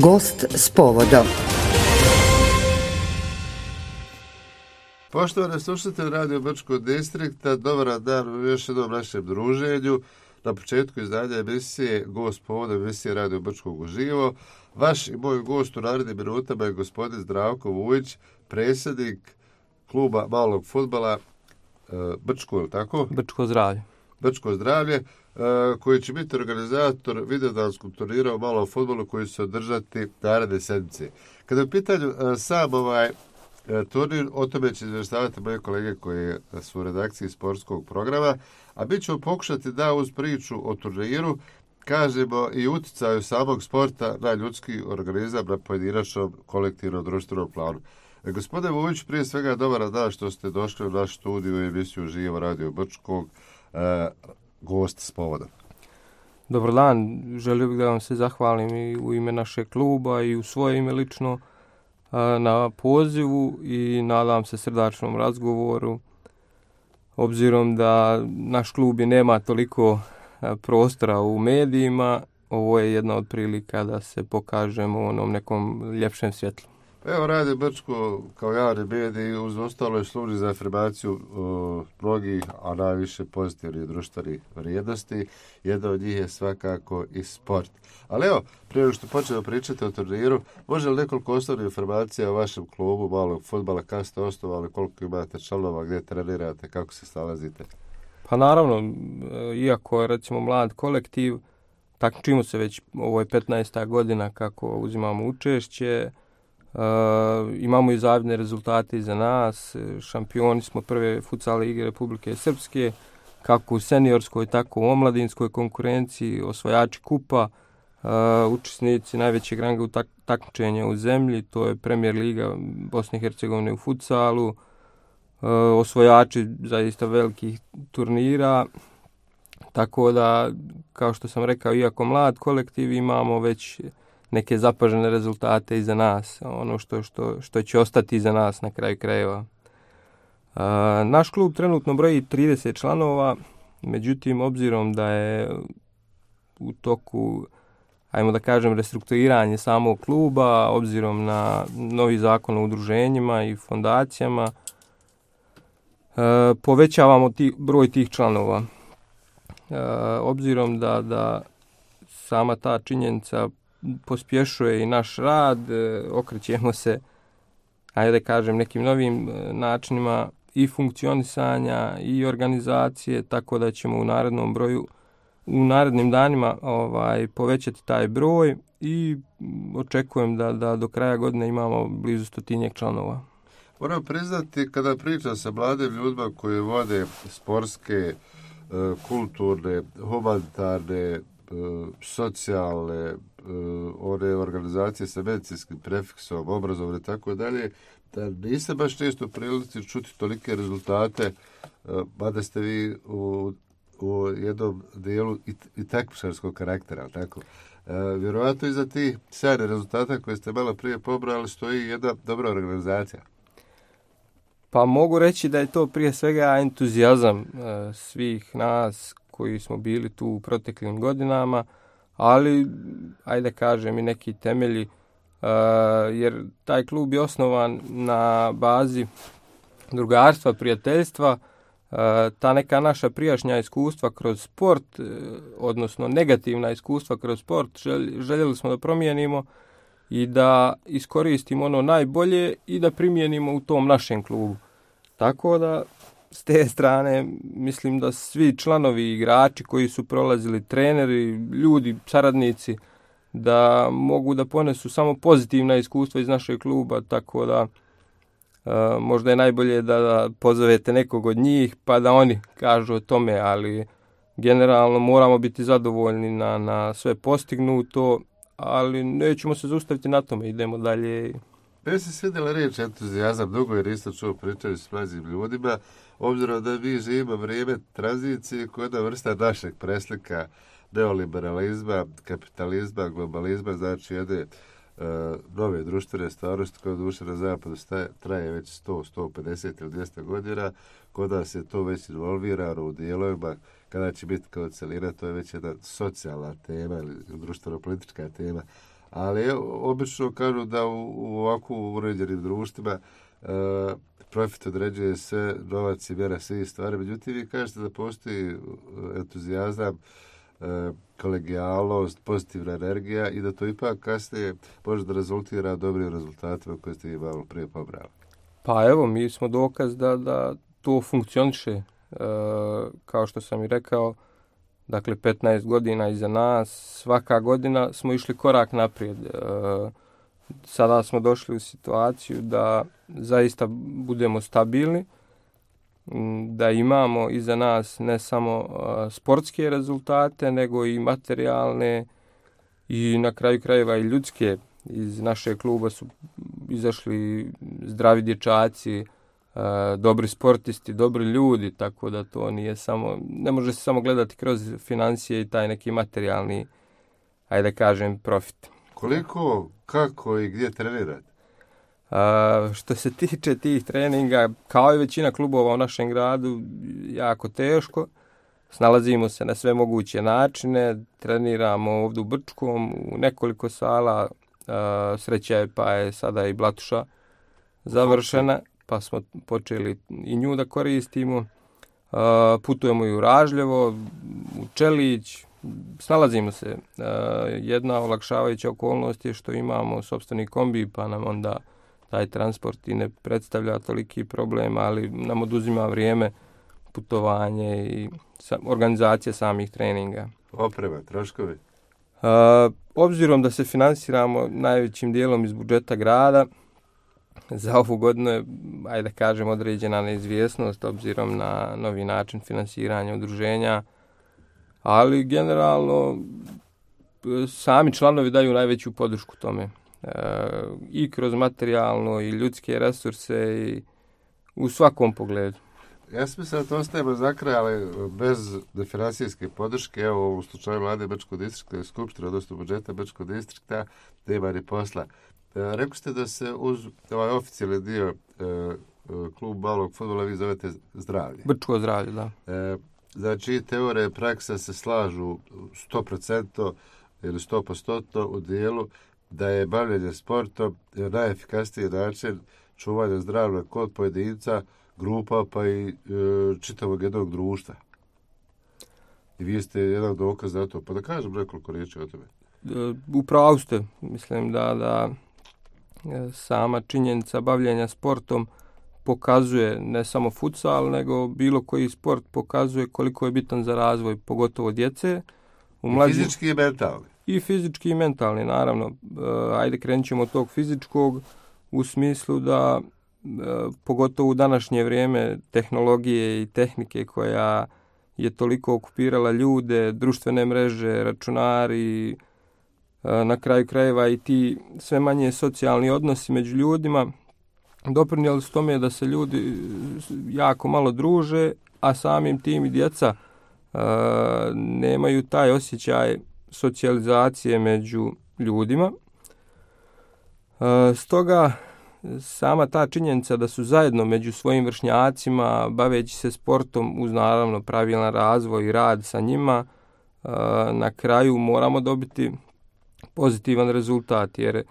Gost s povodom. Poštovane slušatelji Radio Brčkog distrikta, dobar dan u još jednom našem druženju. Na početku izdanja emisije Gost povodom emisije Radio Brčkog uživo. Vaš i moj gost u narednim minutama je gospodin Zdravko Vujić, predsjednik kluba malog fudbala Brčko, je tako? Brčko zdravlje. Brčko zdravlje, koji će biti organizator videodanskog turnira u malom fudbalu koji će se održati naredne sedmice. Kada je u pitanju sam turnir, o tome će izvještavati moje kolege koji su u redakciji sportskog programa, a mi ćemo pokušati da uz priču o turniru kažemo i utjecaju samog sporta na ljudski organizam na pojedinačnom, kolektivnom, društvenom planu. Gospodine Vujić, prije svega dobar dan što ste došli u naš studiju i emisiju Živo Radio Brčkog, gost s povodom. Dobar dan, želio bih da vam se zahvalim i u ime našeg kluba i u svoje ime lično na pozivu i nadam se srdačnom razgovoru, obzirom da naš klub i nema toliko prostora u medijima. Ovo je jedna od prilika da se pokažemo u onom nekom ljepšem svjetlu. Evo, Radio Brčko kao javni medij uz ostalo je služi za afirmaciju mnogih, a najviše pozitivnih društvenih vrijednosti. Jedna od njih je svakako i sport. Ali evo, prije nego što počnemo pričati o turniru, može li nekoliko osnovnih informacija o vašem klubu malog fudbala, kada ste osnovali, koliko imate članova, gdje trenirate, kako se snalazite? Pa naravno, iako je recimo mlad kolektiv, takmičimo se već, ovo je 15. godina kako uzimamo učešće. Imamo i zavidne rezultate iza nas, šampioni smo prve futsal lige Republike Srpske, kako u seniorskoj, tako u omladinskoj konkurenciji, osvajači kupa, učesnici najvećeg ranga takmičenja u zemlji, to je Premier liga Bosne i Hercegovine u futsalu, osvajači zaista velikih turnira, tako da, kao što sam rekao, iako mlad kolektiv, imamo već neke zapažene rezultate iza nas, ono što će ostati iza nas na kraju krajeva. Naš klub trenutno broji 30 članova, međutim, obzirom da je u toku, ajmo da kažem, restrukturiranje samog kluba, obzirom na novi zakon o udruženjima i fondacijama, povećavamo broj tih članova. Obzirom da sama ta činjenica pospješuje i naš rad, okrećemo se, ajde da kažem, nekim novim načinima i funkcionisanja i organizacije, tako da ćemo u narednim danima povećati taj broj i očekujem da do kraja godine imamo blizu 100 članova. Moram priznati, kada pričam sa mladim ljudima koji vode sportske, kulturne, humanitarne, socijalne, one organizacije sa medicinskim prefiksom, obrazovne i tako dalje, da niste baš često u prilici čuti tolike rezultate, mada ste vi u jednom dijelu i takmičarskog karaktera, tako. Vjerovatno iza tih sjajnih rezultata koje ste malo prije pobrali stoji jedna dobra organizacija. Pa mogu reći da je to prije svega entuzijazam svih nas koji smo bili tu u proteklim godinama, ali, ajde kažem, i neki temelji, jer taj klub je osnovan na bazi drugarstva, prijateljstva, ta neka naša prijašnja iskustva kroz sport, odnosno negativna iskustva kroz sport, željeli smo da promijenimo i da iskoristimo ono najbolje i da primijenimo u tom našem klubu. Tako da, s te strane, mislim da svi članovi, igrači koji su prolazili, treneri, ljudi, saradnici, da mogu da ponesu samo pozitivna iskustva iz našeg kluba, tako da možda je najbolje da pozovete nekog od njih pa da oni kažu o tome, ali generalno moramo biti zadovoljni na sve postignuto, ali nećemo se zaustaviti na tome, idemo dalje. Meni se svidjela riječ entuzijazam, dugo jer isto čuo pričati s mlađim ljudima, obzirom da mi živimo vrijeme tranzicije koja je jedna vrsta našeg preslika neoliberalizma, kapitalizma, globalizma, znači jedne nove društvene stvarnosti koja duše na zapadu traje već 100, 150 ili 200 godina. Kod nas je to već involvirano u dijelovima. Kada će biti kao celina, to je već jedna socijalna tema ili društveno-politička tema. Ali obično kažu da u ovako uređenim društvima profit određuje sve, novac i mjera svih stvari. Međutim, vi kažete da postoji entuzijazam, kolegijalnost, pozitivna energija i da to ipak kasnije može da rezultira dobrim rezultatima koje ste imali prije pobrali. Pa evo, mi smo dokaz da to funkcioniše. Kao što sam i rekao, dakle 15 godina iza nas, svaka godina smo išli korak naprijed. Sada smo došli u situaciju da zaista budemo stabilni, da imamo iza nas ne samo sportske rezultate, nego i materijalne i na kraju krajeva i ljudske. Iz našeg kluba su izašli zdravi dječaci, dobri sportisti, dobri ljudi, tako da to nije samo, ne može se samo gledati kroz financije i taj neki materijalni, ajde kažem, profit. Koliko, kako i gdje trenirate? Što se tiče tih treninga, kao i većina klubova u našem gradu, jako teško. Snalazimo se na sve moguće načine, treniramo ovdje u Brčkom, u nekoliko sala, sreća je pa je sada i Blatuša završena, pa smo počeli i nju da koristimo. Putujemo i u Ražljevo, u Čelić, snalazimo se. Jedna olakšavajuća okolnost je što imamo sopstveni kombi, pa nam onda taj transport i ne predstavlja toliki problem, ali nam oduzima vrijeme, putovanje i organizacija samih treninga. Oprema, troškovi? Obzirom da se finansiramo najvećim dijelom iz budžeta grada, za ovu godinu je, ajde kažem, određena neizvjesnost obzirom na novi način finansiranja udruženja, ali generalno sami članovi daju najveću podršku tome. I kroz materijalno i ljudske resurse i u svakom pogledu. Ja sam mislio da to ostajemo za kraj, ali bez financijske podrške, evo u slučaju Vlade Brčkog distrikta i Skupštine, odnosno budžeta Brčkog distrikta, nema ni posla. Rekli ste da se uz ovaj oficijalni dio klub malog fudbala vi zovete zdravlje. Brčko zdravlje, da. Znači, teorija i praksa se slažu 100% ili 100% u dijelu da je bavljenje sportom najefikasniji način čuvanja zdravlja kod pojedinca, grupa pa i čitavog jednog društva. I vi ste jedan dokaz za to. Pa da kažem nekoliko riječi o tome. Upravo ste. Mislim da sama činjenica bavljenja sportom pokazuje ne samo futsal, nego bilo koji sport pokazuje koliko je bitan za razvoj, pogotovo djece. Fizički i mentalni. I fizički i mentalni, naravno. Ajde krenut ćemo od tog fizičkog u smislu da pogotovo u današnje vrijeme tehnologije i tehnike koja je toliko okupirala ljude, društvene mreže, računari, na kraju krajeva i ti sve manje socijalni odnosi među ljudima doprinijeli su tome da se ljudi jako malo druže, a samim tim i djeca nemaju taj osjećaj socijalizacije među ljudima. Stoga sama ta činjenica da su zajedno među svojim vršnjacima, baveći se sportom uz naravno pravilan razvoj i rad sa njima, na kraju moramo dobiti pozitivan rezultat, jer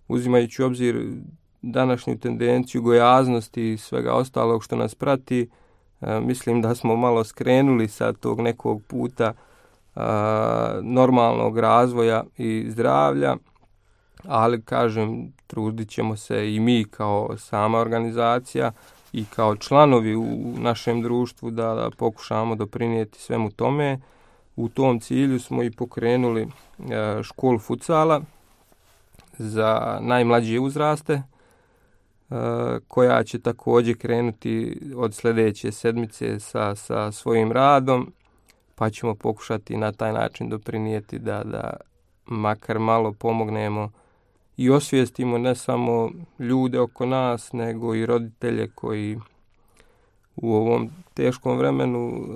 uzimajući u obzir današnju tendenciju gojaznosti i svega ostalog što nas prati, mislim da smo malo skrenuli sa tog nekog puta normalnog razvoja i zdravlja, ali kažem, trudit ćemo se i mi kao sama organizacija i kao članovi u našem društvu da pokušamo doprinijeti svemu tome. U tom cilju smo i pokrenuli školu futsala za najmlađe uzraste, koja će također krenuti od sljedeće sedmice sa svojim radom, pa ćemo pokušati na taj način doprinijeti da makar malo pomognemo i osvijestimo ne samo ljude oko nas, nego i roditelje koji u ovom teškom vremenu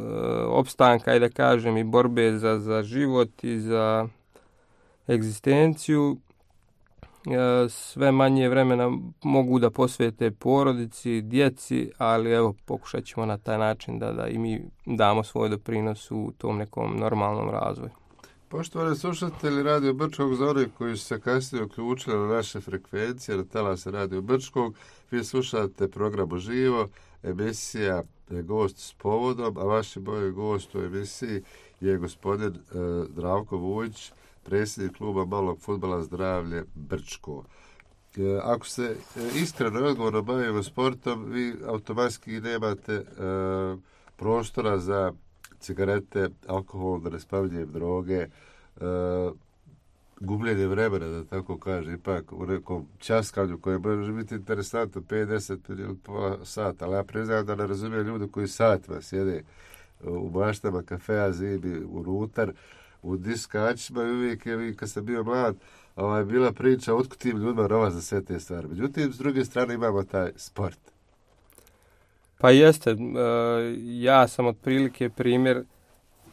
opstanka, i da kažem, i borbe za život i za egzistenciju, sve manje vremena mogu da posvete porodici, djeci, ali evo, pokušat ćemo na taj način da i mi damo svoj doprinos u tom nekom normalnom razvoju. Poštovani slušatelji Radio Brčkog, za one koji su se kasnije uključili na naše frekvencije, na talase Radio Brčkog, vi slušate program Uživo, emisija Gost s povodom, a vaši moj gost u emisiji je gospodin Zdravko Vujić, predsjednik kluba malog fudbala Zdravlje Brčko. Ako se iskreno i odgovorno bavimo sportom, vi automatski nemate prostora za cigarete, alkohol, da ne spominjem droge, gubljenje vremena, da tako kaže, ipak u nekom časkanju koje može biti interesantno 5-10 ili pola sata, ali ja priznam da ne razumijem ljudi koji satima sjede u maštama kafea, zimi, unutar, u diskačima i uvijek je, kad sam bio mlad, bila priča otkud tim ljudima rova za sve te stvari. Međutim, s druge strane imamo taj sport. Pa jeste, ja sam otprilike primjer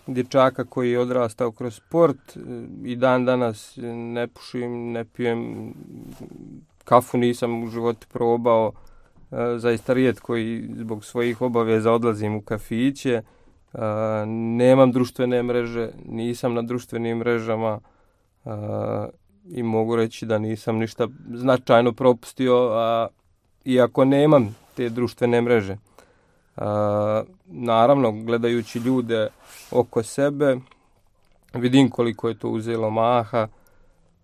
dječaka koji je odrastao kroz sport i dan danas ne pušim, ne pijem, kafu nisam u životu probao, zaista rijetko i zbog svojih obaveza odlazim u kafiće, nemam društvene mreže, nisam na društvenim mrežama i mogu reći da nisam ništa značajno propustio, iako nemam te društvene mreže. Naravno, gledajući ljude oko sebe, vidim koliko je to uzelo maha,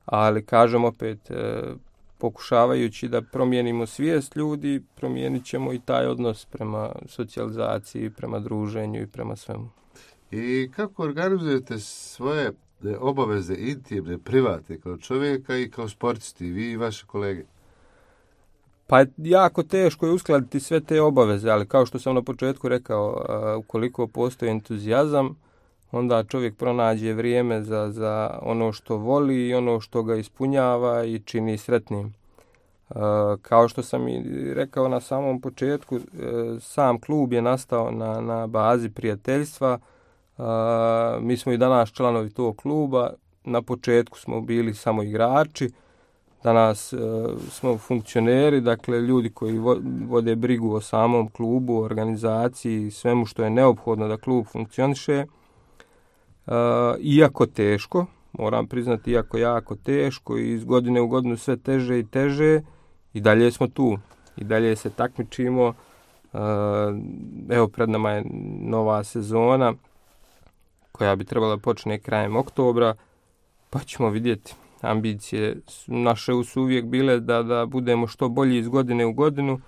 ali kažem opet, pokušavajući da promijenimo svijest ljudi, promijenit ćemo i taj odnos prema socijalizaciji, prema druženju i prema svemu. I kako organizujete svoje obaveze intimne, privatne, kao čovjeka i kao sportisti, vi i vaše kolege? Pa jako teško je uskladiti sve te obaveze, ali kao što sam na početku rekao, ukoliko postoji entuzijazam, onda čovjek pronađe vrijeme za ono što voli i ono što ga ispunjava i čini sretnim. Kao što sam i rekao na samom početku, sam klub je nastao na bazi prijateljstva. Mi smo i danas članovi tog kluba. Na početku smo bili samo igrači. Danas smo funkcioneri, dakle ljudi koji vode brigu o samom klubu, organizaciji i svemu što je neophodno da klub funkcioniše. Iako teško, moram priznati, iako jako teško i iz godine u godinu sve teže i teže, i dalje smo tu. I dalje se takmičimo. Evo, pred nama je nova sezona koja bi trebala počne krajem oktobra, pa ćemo vidjeti. Ambicije naše su uvijek bile da budemo što bolji iz godine u godinu.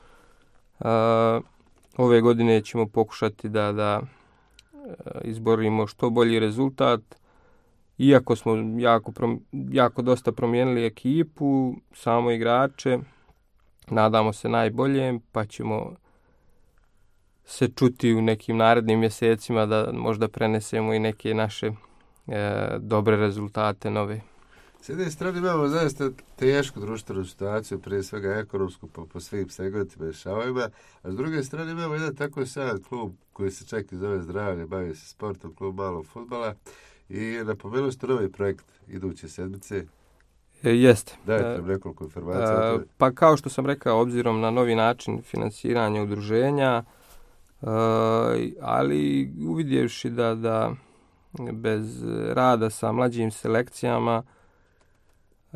Ove godine ćemo pokušati da izborimo što bolji rezultat. Iako smo jako dosta promijenili ekipu, samo igrače, nadamo se najboljem, pa ćemo se čuti u nekim narednim mjesecima da možda prenesemo i neke naše dobre rezultate nove. S jedne strane imamo zaista tešku društvenu situaciju, prije svega ekonomsku po svim segmentima i šavovima, a s druge strane imamo jedan tako sjajan klub koji se čak i zove Zdravlje, bavi se sportom, klub malog fudbala, i napomenuli ste novi projekt iduće sedmice. Jeste. Dajte nam nekoliko informacija. Pa kao što sam rekao, obzirom na novi način financiranja udruženja, ali uvidjevši da bez rada sa mlađim selekcijama,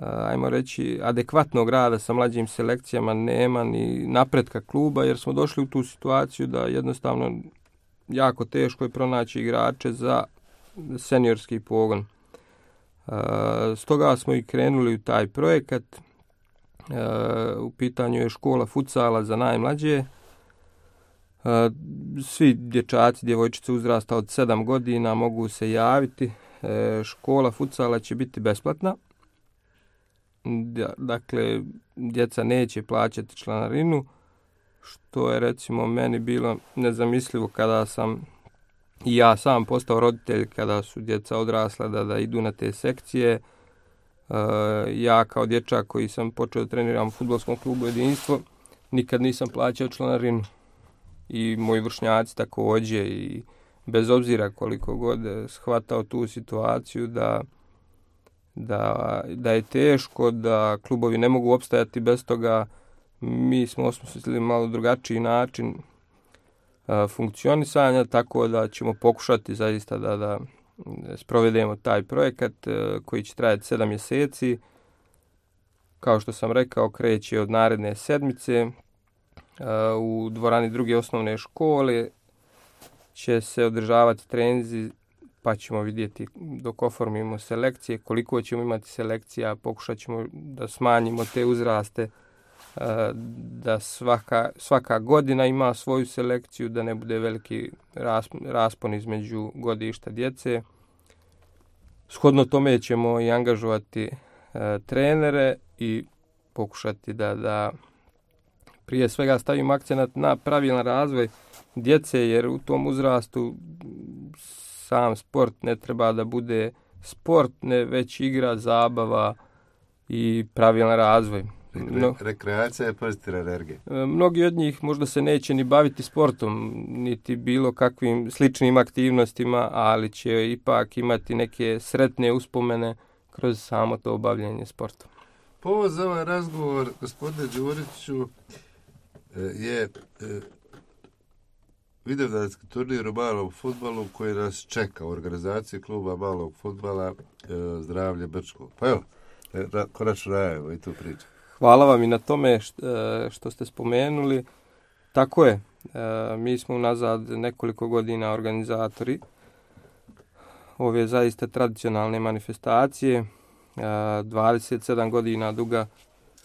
ajmo reći, adekvatnog rada sa mlađim selekcijama nema ni napretka kluba, jer smo došli u tu situaciju da jednostavno jako teško je pronaći igrače za seniorski pogon. Stoga smo i krenuli u taj projekat. U pitanju je škola futsala za najmlađe. Svi dječaci, djevojčice uzrasta od 7 godina mogu se javiti. Škola futsala će biti besplatna. Dakle, djeca neće plaćati članarinu, što je recimo meni bilo nezamislivo kada sam i ja sam postao roditelj, kada su djeca odrasla da idu na te sekcije. Ja kao dječak koji sam počeo da treniram u fudbalskom klubu Jedinstvo, nikad nisam plaćao članarinu. I moji vršnjaci također, i bez obzira koliko god shvatao tu situaciju da je teško, da klubovi ne mogu opstajati bez toga, mi smo osmislili malo drugačiji način funkcionisanja, tako da ćemo pokušati zaista sprovedemo taj projekat koji će trajati 7 mjeseci. Kao što sam rekao, kreće od naredne sedmice. U dvorani druge osnovne škole će se održavati treninzi, pa ćemo vidjeti dok oformimo selekcije, koliko ćemo imati selekcija, pokušat ćemo da smanjimo te uzraste, da svaka godina ima svoju selekciju, da ne bude veliki raspon između godišta djece. Shodno tome ćemo i angažovati trenere i pokušati da prije svega stavimo akcenat na pravilan razvoj djece, jer u tom uzrastu sam sport ne treba da bude sport, ne već igra, zabava i pravilan razvoj. Rekreacija je pozitivna energija. Mnogi od njih možda se neće ni baviti sportom, niti bilo kakvim sličnim aktivnostima, ali će ipak imati neke sretne uspomene kroz samo to obavljanje sportom. Povod za ovaj razgovor, gospodine Đuriću, je vidovdanski turnir u malom fudbalu koji nas čeka u organizaciji kluba malog fudbala Zdravlje Brčko. Pa evo, konačno najavimo i tu priču. Hvala vam i na tome što ste spomenuli. Tako je, mi smo unazad nekoliko godina organizatori ove zaista tradicionalne manifestacije, 27 godina duga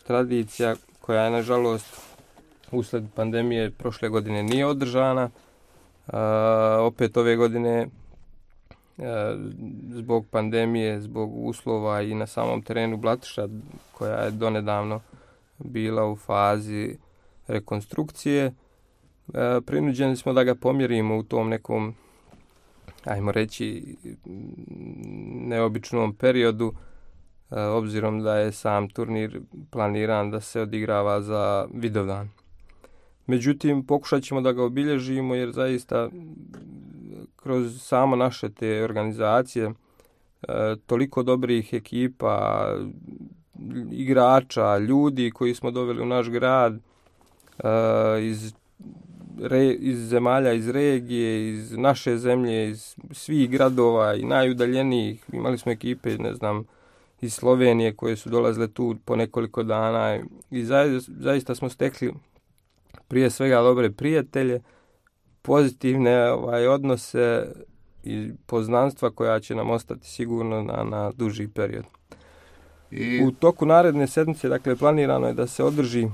tradicija koja je nažalost usled pandemije prošle godine nije održana. Opet ove godine zbog pandemije, zbog uslova i na samom terenu Blatiša koja je donedavno bila u fazi rekonstrukcije, prinuđeni smo da ga pomjerimo u tom nekom, ajmo reći, neobičnom periodu, obzirom da je sam turnir planiran da se odigrava za Vidovdan. Međutim, pokušat ćemo da ga obilježimo jer zaista kroz samo naše te organizacije toliko dobrih ekipa, igrača, ljudi koji smo doveli u naš grad iz zemalja, iz regije, iz naše zemlje, iz svih gradova i najudaljenijih. Imali smo ekipe, iz Slovenije koje su dolazile tu po nekoliko dana i zaista smo stekli prije svega dobre prijatelje, pozitivne odnose i poznanstva koja će nam ostati sigurno na duži period. U toku naredne sedmice, dakle, planirano je da se održi,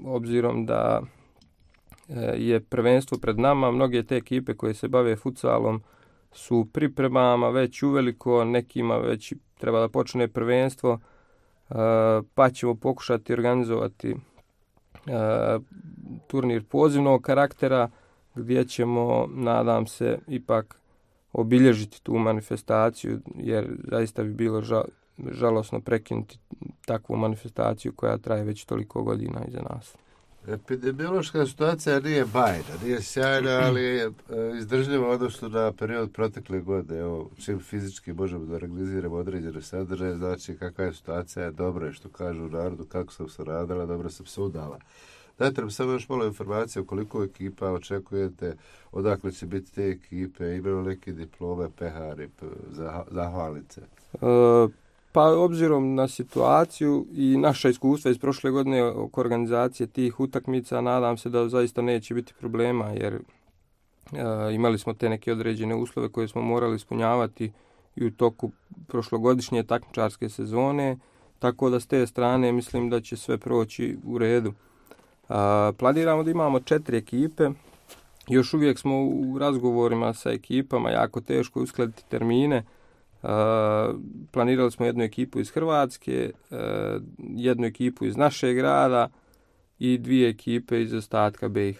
obzirom da je prvenstvo pred nama, mnoge te ekipe koje se bave futsalom su pripremama već uveliko, nekima već treba da počne prvenstvo, pa ćemo pokušati organizovati turnir pozivnog karaktera gdje ćemo, nadam se, ipak obilježiti tu manifestaciju, jer zaista bi bilo žalosno prekinuti takvu manifestaciju koja traje već toliko godina iza nas. Epidemiološka situacija nije bajna, nije sjajna, ali je izdržljiva odnosno na period protekle godine. Evo, čim fizički možemo da organiziramo određene sadržaje, znači kakva je situacija, dobro je što kažu u narodu, kako sam se radila, dobro sam se udala. Dajte nam samo još malo informacije o koliko ekipa očekujete, odakle će biti te ekipe, imaju neke diplome, pehari, zahvalnice? Pa obzirom na situaciju i naša iskustva iz prošle godine oko organizacije tih utakmica, nadam se da zaista neće biti problema, jer imali smo te neke određene uslove koje smo morali ispunjavati i u toku prošlogodišnje takmičarske sezone, tako da s te strane mislim da će sve proći u redu. Planiramo da imamo 4 ekipe, još uvijek smo u razgovorima sa ekipama, jako teško uskladiti termine. Planirali smo jednu ekipu iz Hrvatske, jednu ekipu iz našeg grada i 2 ekipe iz ostatka BiH.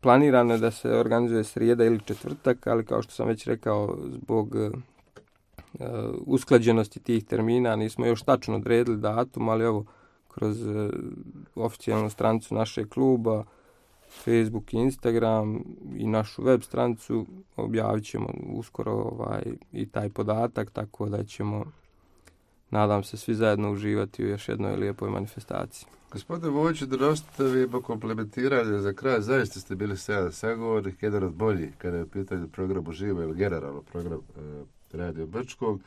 Planirano je da se organizuje srijeda ili četvrtak, ali kao što sam već rekao, zbog usklađenosti tih termina nismo još tačno odredili datum, ali evo, kroz oficijalnu stranicu našeg kluba, Facebook i Instagram i našu web stranicu objavit ćemo uskoro i taj podatak, tako da ćemo nadam se svi zajedno uživati u još jednoj lijepoj manifestaciji. Gospodine Vojiću, da nastavimo komplementiranje za kraj. Zaista ste bili sjajan sagovornik, jedan od boljih kada je u pitanju program uživo ili generalno program Radio Brčkog.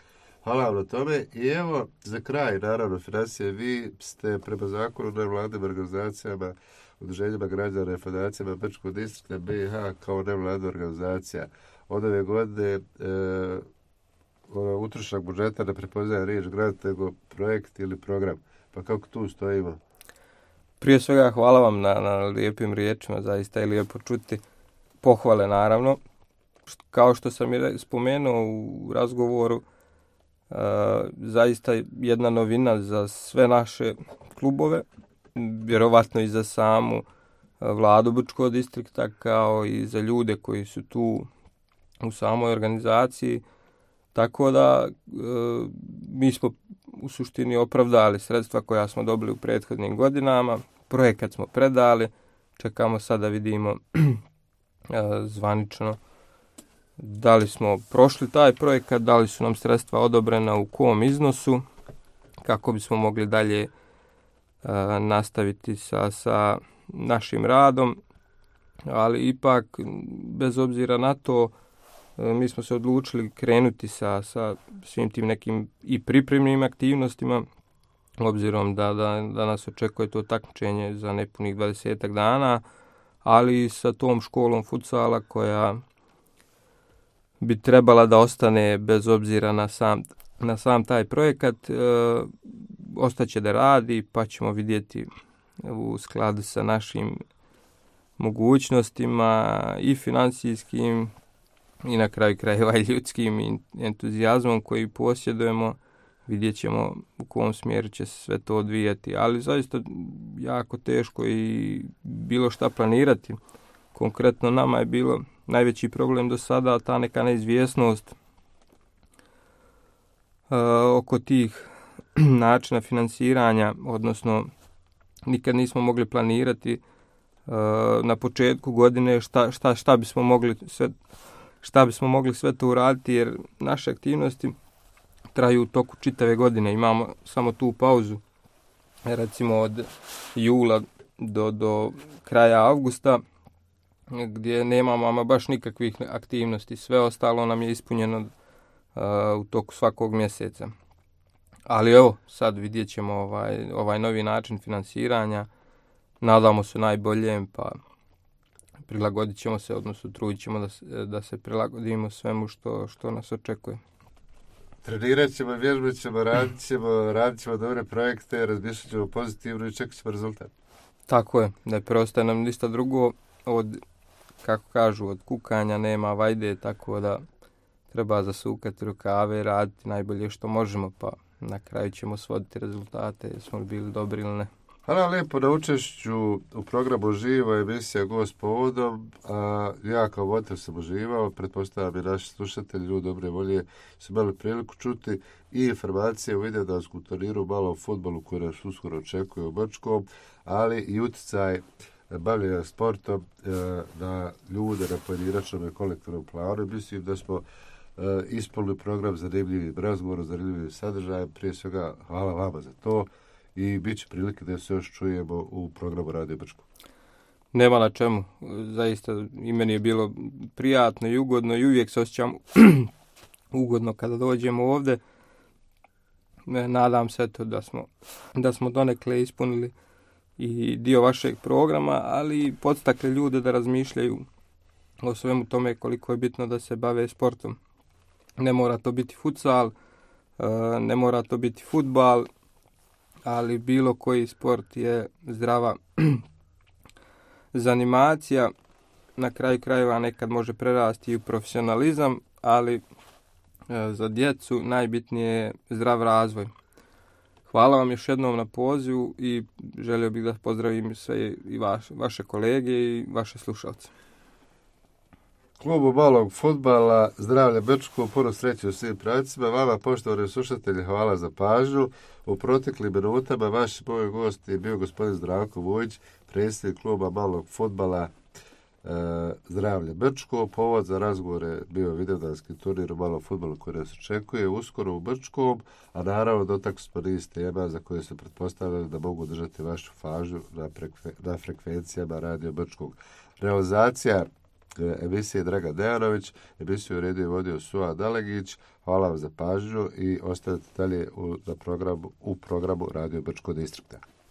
Hvala vam na tome. I evo, za kraj, naravno, financije, vi ste prema zakonu nevladnim organizacijama, udruženjima građana i fondacijama Brčkog distrikta BiH kao nevladna organizacija. Od ove godine utrošak budžeta ne prepoznaje riječ grant, nego projekt ili program. Pa kako tu stojimo? Prije svega hvala vam na lijepim riječima, zaista je lijepo čuti pohvale naravno. Kao što sam i spomenuo u razgovoru, zaista jedna novina za sve naše klubove, vjerovatno i za samu vladu Brčkog distrikta, kao i za ljude koji su tu u samoj organizaciji. Tako da mi smo u suštini opravdali sredstva koja smo dobili u prethodnim godinama. Projekat smo predali, čekamo sad da vidimo zvanično da li smo prošli taj projekat, da li su nam sredstva odobrena u kom iznosu, kako bismo mogli dalje nastaviti sa našim radom. Ali ipak, bez obzira na to, mi smo se odlučili krenuti sa svim tim nekim i pripremnim aktivnostima, obzirom da nas očekuje to takmičenje za nepunih 20 dana, ali sa tom školom futsala koja bi trebala da ostane bez obzira na sam taj projekat, ostaće da radi, pa ćemo vidjeti u skladu sa našim mogućnostima i financijskim i na kraju krajeva i ljudskim entuzijazmom koji posjedujemo, vidjet ćemo u kom smjeru će se sve to odvijati, ali zaista jako teško i bilo šta planirati. Konkretno nama je bilo najveći problem do sada ta neka neizvjesnost oko tih načina financiranja, odnosno nikad nismo mogli planirati na početku godine šta bismo mogli sve to uraditi, jer naše aktivnosti traju u toku čitave godine. Imamo samo tu pauzu, recimo od jula do kraja avgusta, gdje nemamo ama baš nikakvih aktivnosti. Sve ostalo nam je ispunjeno u toku svakog mjeseca. Ali evo, sad vidjet ćemo ovaj novi način financiranja. Nadamo se najboljem, pa prilagodit ćemo se, odnosno trudit ćemo da se prilagodimo svemu što nas očekuje. Trenirat ćemo, vježbat ćemo, radit ćemo dobre projekte, razmišljat ćemo pozitivno i čekat ćemo rezultat. Tako je, ne preostaje nam ništa drugo od, kako kažu, od kukanja nema vajde, tako da treba zasukati rukave, raditi najbolje što možemo, pa na kraju ćemo svoditi rezultate, jesmo li bili dobri ili ne. Hvala lijepo na učešću u programu Živo, emisija Gost povodom. Ja kao voditelj sam uživao, pretpostavljam i naši slušatelji, ljudi dobre volje, su imali priliku čuti i informacije u videodanskom turniru, malo o fudbalu koji nas uskoro očekuje u Brčkom, ali i utjecaj bavljenja sportom na ljude na pojedinačnom i kolektivnom planu. Mislim da smo ispunili program zanimljivim razgovorom, zanimljivim sadržajem. Prije svega hvala vama za to. I bit će prilike da se još čujemo u programu Radio Brčko. Nema na čemu. Zaista i meni je bilo prijatno i ugodno i uvijek se osjećam ugodno kada dođemo ovdje. Nadam se da smo donekle ispunili i dio vašeg programa, ali i podstakli ljude da razmišljaju o svemu tome koliko je bitno da se bave sportom. Ne mora to biti futsal, ne mora to biti fudbal, ali bilo koji sport je zdrava zanimacija. Na kraju krajeva nekad može prerasti i u profesionalizam, ali za djecu najbitnije je zdrav razvoj. Hvala vam još jednom na pozivu i želio bih da pozdravim sve i vaše kolege i vaše slušalce. Klubu malog fudbala Zdravlje Brčko, puno sreće u svim pravcima. Vama, poštovani slušatelji, hvala za pažnju. U proteklim minutama vaš moj gost je bio gospodin Zdravko Vujić, predsjednik kluba malog fudbala Zdravlje Brčko. Povod za razgovore bio Vidovdanski turnir u malom fudbalu koji nas očekuje uskoro u Brčkom, a naravno dotakli smo niz tema za koje se pretpostavljali da mogu držati vašu pažnju na frekvencijama Radio Brčkog. Realizacija emisije Draga Dejanović, emisiju uredio i vodio Suha Dalegić. Hvala vam za pažnju i ostanite dalje u programu Radio Brčkog distrikta.